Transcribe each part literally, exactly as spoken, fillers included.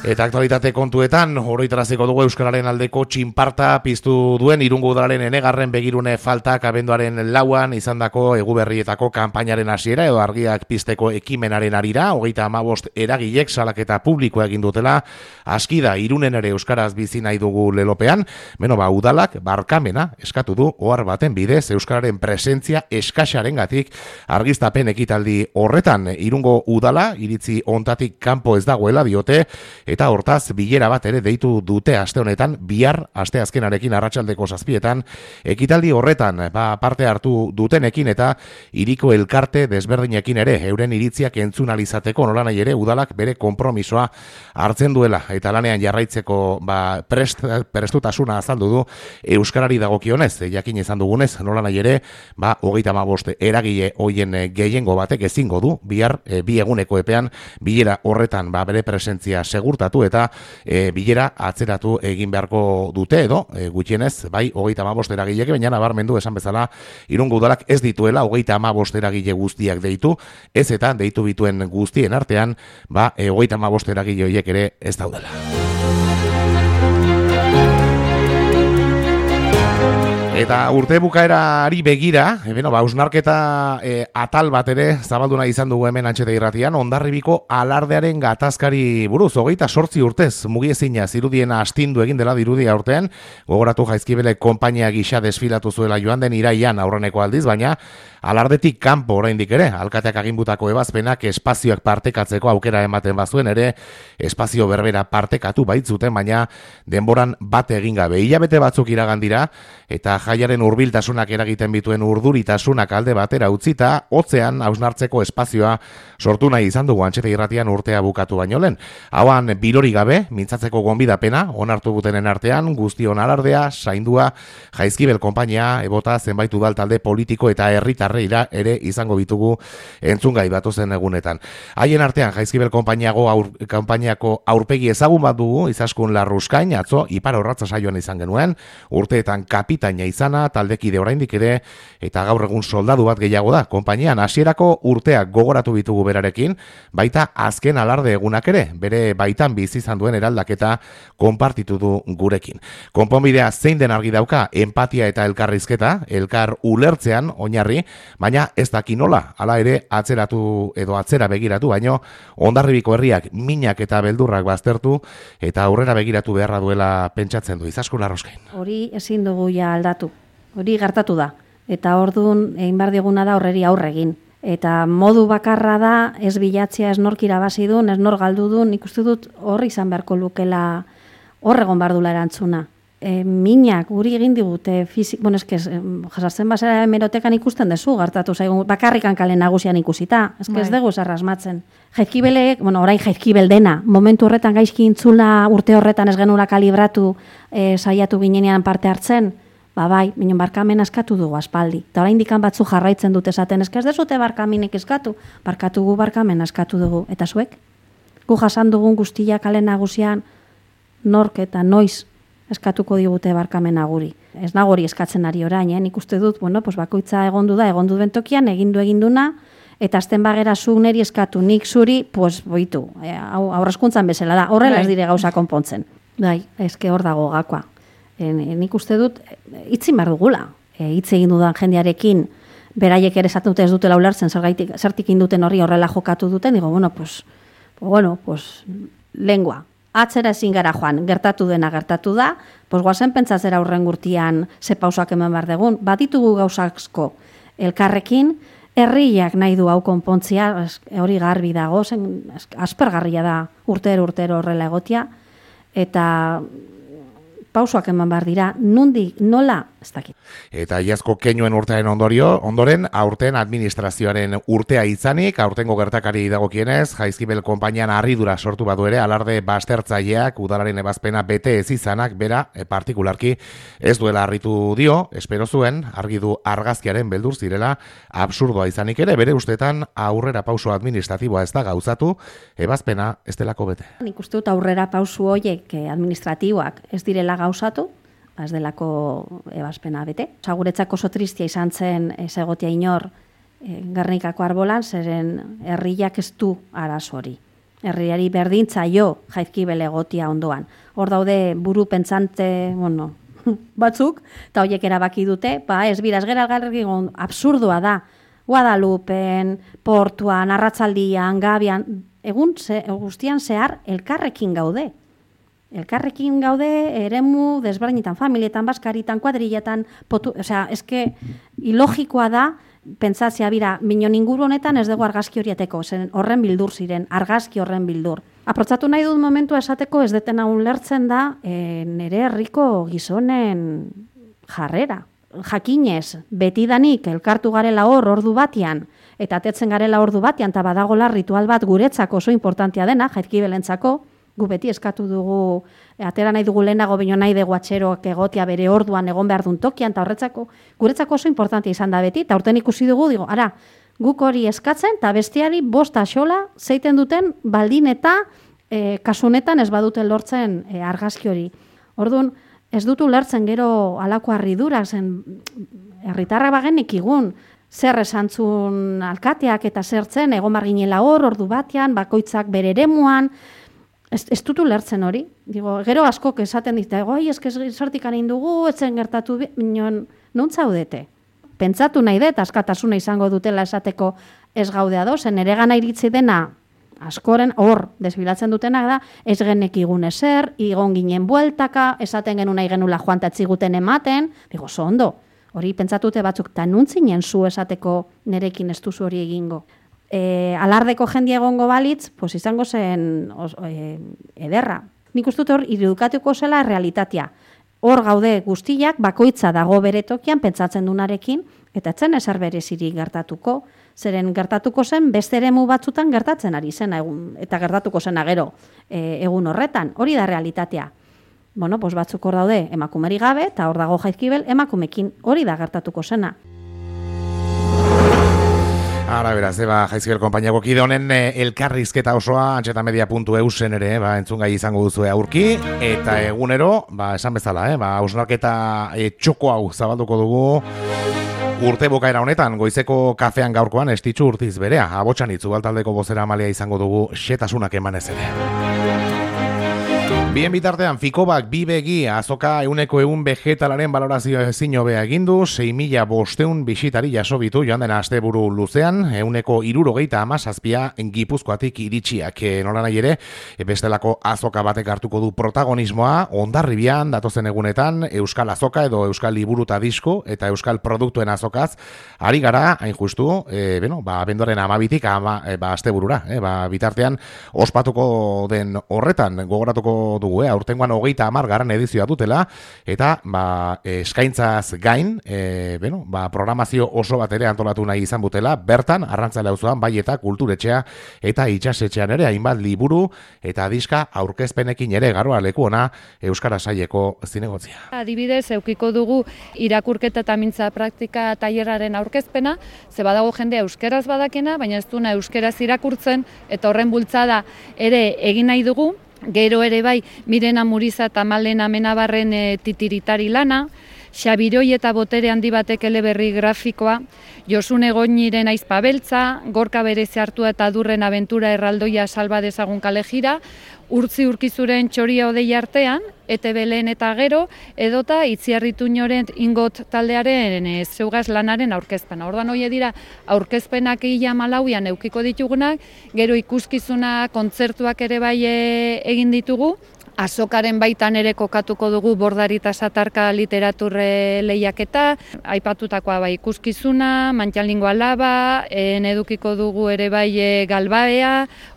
Eta aktualitate kontuetan, oroitaraziko dugu Euskararen aldeko txinparta piztu duen Irungo Udalaren enegarren begirune faltak abenduaren lauan izandako eguberrietako kanpainaren hasiera edo argiak pizteko ekimenaren arira, hogeita hamabost eragilek salaketa publikoa egin dutela, aski da Irunen ere euskaraz bizi nahi dugu lelopean, beno ba udalak barkamena eskatu du ohar baten bidez Euskararen presentzia eskasarengatik argiztapen ekitaldi horretan. Irungo Udala iritzi ontatik kanpo ez dagoela diote, eta hortaz bilera bat ere deitu dute aste honetan, bihar asteazkenarekin arratsaldeko zazpietan, ekitaldi horretan ba, parte hartu dutenekin eta hiriko elkarte desberdinekin ere euren iritziak entzun alizateko nolanahi ere udalak bere konpromisoa hartzen duela eta lanean jarraitzeko ba, prest, prestutasuna azaldu du euskarari dagokionez, jakin izan dugunez nolanahi ere ba, hogeita hamabost eragile hoien gehiengo batek ezingo du bihar e, bi eguneko epean bilera horretan ba, bere presentzia segurtatu eta e, bilera atzeratu egin beharko dute edo e, gutxienez bai hogeita hamabost eragilek, baina nabarmendu esan bezala Irungo Udalak ez dituela hogeita hamabost eragile guztiak deitu, ez eta deitu bituen guztien artean ba e, hogeita hamabost eragile horiek ere ez daudela. Eta urte bukaerari begira, e, beno, ba, ausnarketa e, atal bat ere zabaldu nahi izan dugu hemen Antxeta Irratian, Hondarribiko alardearen gatazkari buruz, hogeita sortzi urtez mugiezina zirudien astindu egin dela dirudia urtean, gogoratu Jaizkibele konpainia gisa desfilatu zuela joan den iraian aurreneko aldiz, baina alardetik kanpo oraindik ere, alkateak aginbutako ebazpenak espazioak partekatzeko aukera ematen bazuen ere, espazio berbera partekatu baitzuten, baina denboran bate egin gabe. Hilabete batzuk iragan dira, eta jaiaren hurbiltasunak eragiten bituen urduritasunak alde batera utzita, hotzean hausnartzeko espazioa sortu nahi izan dugu Antxeta Irratian urtea bukatu baino lehen. Hauan bilori gabe, mintzatzeko gonbidapena, onartu gutenen artean, guztion alardea, saindua, Jaizkibel konpainia, ebota zenbait udal talde politiko eta herritarreira ere izango bitugu entzungai datozen egunetan. Haien artean Jaizkibel konpainiago aur, konpainiako aurpegi ezagun bat dugu, Izaskun Larruskain, atzo ipar horratza saioan izan genuen, urteetan kapitaina izana, taldekide oraindik ere, eta gaur egun soldadu bat gehiago da, konpainian hasierako urteak gogoratu bitugu berarekin, baita azken alarde egunak ere, bere baitan bizi izan duen eraldaketa konpartitu du gurekin. Konponbidea zein den argi dauka, empatia eta elkarrizketa, elkar ulertzean oinarri, baina ez daki nola, hala ere atzeratu edo atzera begiratu, baino Hondarribiko herriak minak eta beldurrak baztertu, eta aurrera begiratu beharra duela pentsatzen du. Izaskun Larruskain. Hori ezin dugu ja aldatu, hori gertatu da, eta orduan egin behar diguna da horreri aurre egin. Eta modu bakarra da, ez bilatzea, ez nork irabazi duen, ez nor galdu duen, nik uste dut horri izan beharko lukela horregon bardula erantzuna. E, minak guri egin digute fizik, bueno, eske jasartzen basera hemerotekan ikusten dezu, gertatu zaigun bakarrikan kale nagusian ikusita, eske ez dugu zarrasmatzen. Jaizkibelek, bueno, orain Jaizkibel dena, momentu horretan gaizki intzula urte horretan ez genula kalibratu e, saiatu ginenean parte hartzen, ba bai, minon barkamen eskatu dugu aspaldi. Eta orain dikan batzu jarraitzen dute esaten, eske ez dezute barkaminek eskatu, barkatu gu barkamen eskatu dugu. Eta zuek? Gu jasan dugun guztia kale nagusian nork eta noiz eskatuko digute barkamena guri. Ez nago hori eskatzen ari orain, eh? Nik uste dut, bueno, pues bakoitza egondu da, egondu den tokian, egindu eginduna, eta azten bagera zu neri eskatu, nik zuri, pues boitu, e, aurrezkuntzan bezala da, horrela ez dire gauza konpontzen. Bai, eske hor dago gakoa. E, nik uste dut, hitzin behar dugula, e, hitz egin dudan jendearekin, beraiek ere esaten dute ez dutela ulertzen, zergaitik, zertik induten horri horrela jokatu duten, digo, bueno, pues, bueno, pues, lengua. Atzera ezin gara joan, gertatu dena gertatu da, pues guazen pentsatzera urren gurtian ze pausak eman behar degun. Baditugu gauzaksko elkarrekin, herriak nahi du hau konpontzia, hori garbi dago, zen, aspergarria da urtero urtero horrela egotia, eta pausoak eman behar dira, nundi, nola, ez dakit. Eta iazko keinuen urtearen ondorio, ondoren, aurten administrazioaren urtea izanik, aurtengo gertakari dagokienez, Jaizkibel konpainian harridura sortu badu ere, alarde baztertzaileak, udalaren ebazpena bete ez izanak, bera, e, partikularki, ez duela harritu dio, espero zuen, argi du argazkiaren beldur zirela, absurdoa izanik ere, bere ustetan aurrera pauso administratiboa ez da gauzatu, ebazpena ez delako bete. Nik uste dut aurrera pausu horiek administratiboak ez direla gauzatu, ez delako ebazpena bete. Osa, guretzako oso tristia izan zen ez egotia inor e, Gernikako arbolan, zeren herriak ez du arazo hori. herriari berdintzaio Jaizkibel egotia ondoan. Hor daude buru pentsante, bueno, batzuk, eta horiek erabaki dute, ba ez bira, ez gera algarrekin absurdoa da, Guadalupen, Portuan, Arratzaldian, Gabian, egun ze, guztian zehar elkarrekin gaude. Elkarrekin gaude eremu desberdinetan, familietan, baskaritan, kuadrilletan, potu, osea, eske ilogikoa da, pentsatzea bira, minon inguru honetan ez dugu argazki horieteko, zen horren bildur ziren, argazki horren bildur. Aprotzatu nahi dut momentua esateko ez detena ulertzen da e, nere herriko gizonen jarrera. Jakinez, betidanik elkartu garela hor ordu batian, eta atetzen garela ordu batian, eta badagola ritual bat guretzako oso importantia dena, Jaizkibelentzako, gu beti eskatu dugu, atera nahi dugu lehenago baino nahi dugu atxeroak egotia bere orduan egon behar duen tokian, eta horretzako, guretzako oso importantia izan da beti, eta urten ikusi dugu, digo, ara, guk hori eskatzen, eta bestiari bosta xola zeiten duten baldin eta e, kasunetan ez baduten lortzen e, argazki hori. Orduan, ez dut ulertzen gero alako harridura, zen herritarra bagenik igun, zer esantzun alkateak eta zertzen, egon marginela hor, ordu batean, bakoitzak bere eremuan, Ez, ez dut ulertzen hori. Digo, gero askok esaten dit, goi, eske sortik anin dugu, etzen gertatu, minon, non zaudete? Pentsatu nahi dut, askatasuna izango dutela esateko ez gaudea dozen, ere gana iritzi dena, askoren, hor, desbilatzen dutenak da, ez genek igun ezer, igon ginen bueltaka, esaten genu nahi genula joan tatziguten ematen, digo, zo ondo, hori pentsatute batzuk, ta nuntzinen zu esateko nerekin ez duzu hori egingo. E, alardeko jendia egongo balitz, pues izango zen os, e, ederra. Nik uste dut hor irudikatuko zela realitatea. Hor gaude guztiak, bakoitza dago bere tokian, pentsatzen dunarekin, eta etzen ezer berezirik gertatuko, zeren gertatuko zen beste eremu batzutan gertatzen ari zena, egun, eta gertatuko zena gero e, egun horretan, hori da realitatea. Bueno, pues batzuk hor daude emakumeri gabe, eta hor dago Jaizkibel emakumekin, hori da gertatuko zena. Ara, beraz, eba, Jaizkibel konpainiako kide honen eh, elkarrizketa osoa antxetamedia puntu eu zen ere, ba, entzungai izango duzu aurki, eta egunero, ba, esan bezala, eh, ba, hausnarketa eh, txoko hau zabalduko dugu urte bukaera honetan, goizeko kafean gaurkoan estitxu urtiz berea, abotxan itzu baltaldeko bozera amalea izango dugu xetasunak emanez ere. Bien bitartean, Fikobak bi begi azoka euneko eun vegetalaren balorazio ezin hobea egindu, sei mila bosteun bisitari jasobitu joan den asteburu luzean, euneko hirurogeita hamazazpia Gipuzkoatik iritsiak. E, nola nahi ere, bestelako azoka batek hartuko du protagonismoa, Hondarribian datozen egunetan, Euskal Azoka edo Euskal Liburuta Disko eta Euskal Produktuen azokaz, ari gara, hain justu, e, bueno, ba, bendoren amabitik ama, e, ba, asteburura, e, ba, bitartean ospatuko den horretan, gogoratuko dugu, eh? Aurtengoan hogeita hamar garren edizioa dutela, eta ba, eskaintzaz gain, e, bueno, ba, programazio oso bat ere antolatu nahi izan butela, bertan, Arrantzale auzoan bai eta kulturetxea eta itxasetxean ere hainbat liburu eta diska aurkezpenekin ere garoa leku ona Euskara Saileko zinegotzia. Adibidez, eukiko dugu irakurketa eta mintza praktika tailerraren aurkezpena, ze badago jende euskeraz badakena, baina ez duna euskeraz irakurtzen, eta horren bultzada ere egin nahi dugu. Gero ere bai, Mirena Muriza eta Malena Amenabarren e, titiritari lana, Xabiroi eta botere handi batek eleberri grafikoa, Josune Goñiren aizpa beltza, Gorka berezi hartua eta Durren abentura erraldoia salba dezagun kalejira, Urtzi Urkizuren txoria odei artean, E T B lehen eta gero, edota Itziarrituñoren ingot taldearen e, zeugaz lanaren aurkezpena. Orduan hori dira aurkezpenak ia malauian eukiko ditugunak, gero ikuskizuna kontzertuak ere bai e, egin ditugu, Azokaren baitan ere kokatuko dugu Bordari eta Satarka literaturre lehiaketa, aipatutakoa bai ikuskizuna, Mantxalingo alaba, en edukiko dugu ere bai e, Galbaea,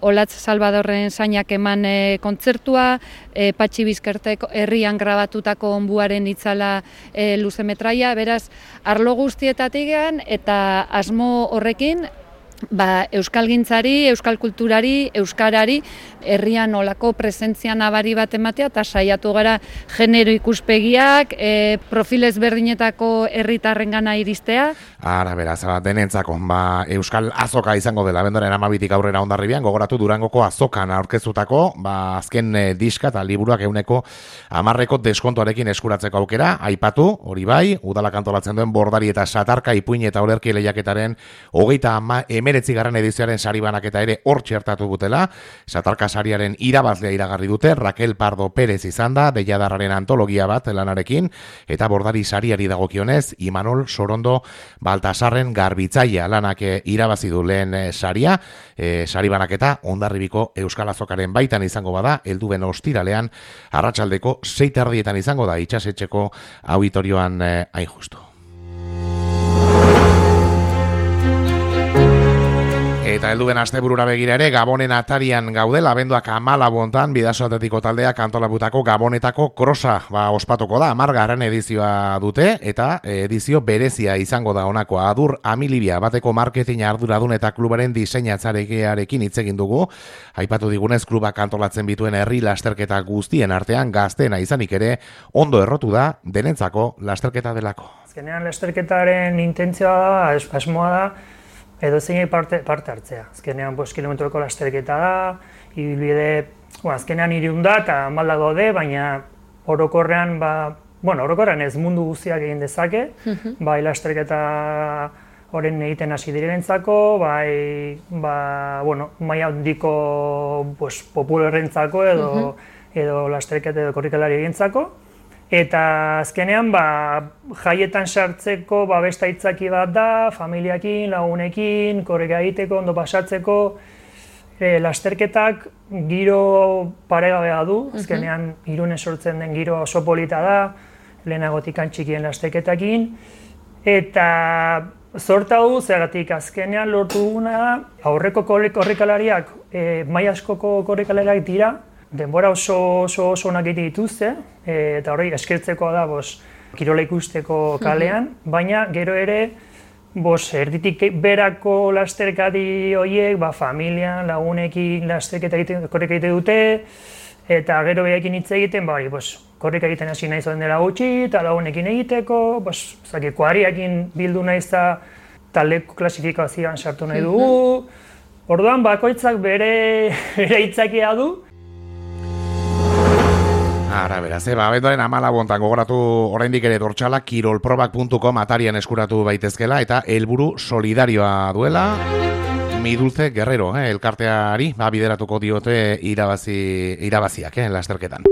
Olatz Salvadorren zainak eman e, kontzertua, e, Patxi Bizkertek herrian grabatutako onbuaren itzala e, luzemetraia, beraz, arlo guztietatik eta asmo horrekin, ba, euskalgintzari, euskal kulturari, euskarari, herrian olako presentzia nabari bat ematea, eta saiatu gara genero ikuspegiak, e, profil ezberdinetako herritarrengana iristea. Ara, beraz, denentzako, ba, Euskal Azoka izango dela, bendoren amabitik aurrera Hondarribian, gogoratu Durangoko azokan aurkezutako, ba, azken e, diska eta liburuak euneko amarreko deskontuarekin eskuratzeko aukera, aipatu, hori bai, udalak antolatzen duen Bordari eta Satarka ipuin eta olerki lehiaketaren hogeita ama emeretzigarren edizioaren sari banaketa ere hor txertatu dutela, Satarka sariaren irabazlea iragarri dute, Raquel Pardo Pérez izan da, Deiadarraren antologia bat lanarekin, eta bordari sariari dagokionez, Imanol Sorondo Baltasarren garbitzaia lanak irabazi du lehen saria, e, sari banaketa Hondarribiko Euskal Azokaren baitan izango bada, helduen ostiralean, arratsaldeko sei terdietan izango da, itxasetxeko auditorioan eh, hain justu. Eta helduen asteburura begira ere, Gabonen atarian gaudela, abenduak amalabu hontan, Bidaso Atletiko taldeak antolabutako Gabonetako krosa ba, ospatuko da, amargarren edizioa dute, eta edizio berezia izango da honakoa. Adur Amilibia bateko marketing arduradun eta klubaren diseinatzarekin hitz egin dugu, aipatu digunez klubak antolatzen bituen herri lasterketa guztien artean gaztena izanik ere, ondo errotu da, denentzako lasterketa delako. Azkenean lasterketaren intentzioa da, asmoa da, edo zein parte, parte hartzea. Azkenean, bost kilometroko lasterketa da, ibilbide, bueno, azkenean hirun da eta malda gaude, baina orokorrean, ba, bueno, orokorrean ez mundu guztiak egin dezake, uh-huh. bai lasterketa horren egiten hasi direnentzako, bai, ba, bueno, maila handiko pues, popularrentzako edo, uh-huh. edo lasterketa edo korrikalari egintzako. Eta azkenean, ba, jaietan sartzeko ba, beste aitzaki bat da, familiakin, lagunekin, korrika egiteko, ondo pasatzeko, e, lasterketak giro paregabea du, azkenean Irunen sortzen den giro oso polita da, lehenagotik txikien lasterketakin, eta zorta du, zergatik azkenean lortu duguna, aurreko korrikalariak, e, maila askoko korrikalariak dira, denbora oso oso oso onak egite dituzte, e, eta hori eskertzekoa da bos, kirola ikusteko kalean, baina gero ere bos, erditik berako lasterkadi horiek, ba, familian, lagunekin lasterketa egiten, korrika egite dute, eta gero behaekin hitz egiten, ba, bos, korrika egiten hasi nahi zoen dela gutxi, eta lagunekin egiteko, bos, zaki, kuariakin bildu nahiz eta taldeko klasifikazioan sartu nahi dugu. Orduan, bakoitzak bere, bere hitzakia du. Ara, beraz, eba, abenduaren amalabu hontan gogoratu oraindik ere dortxala kirolprobak puntu com atarian eskuratu baitezkela eta helburu solidarioa duela. Mi Dulce Guerrero, eh, elkarteari, ba, bideratuko diote irabazi, irabaziak, eh, lasterketan.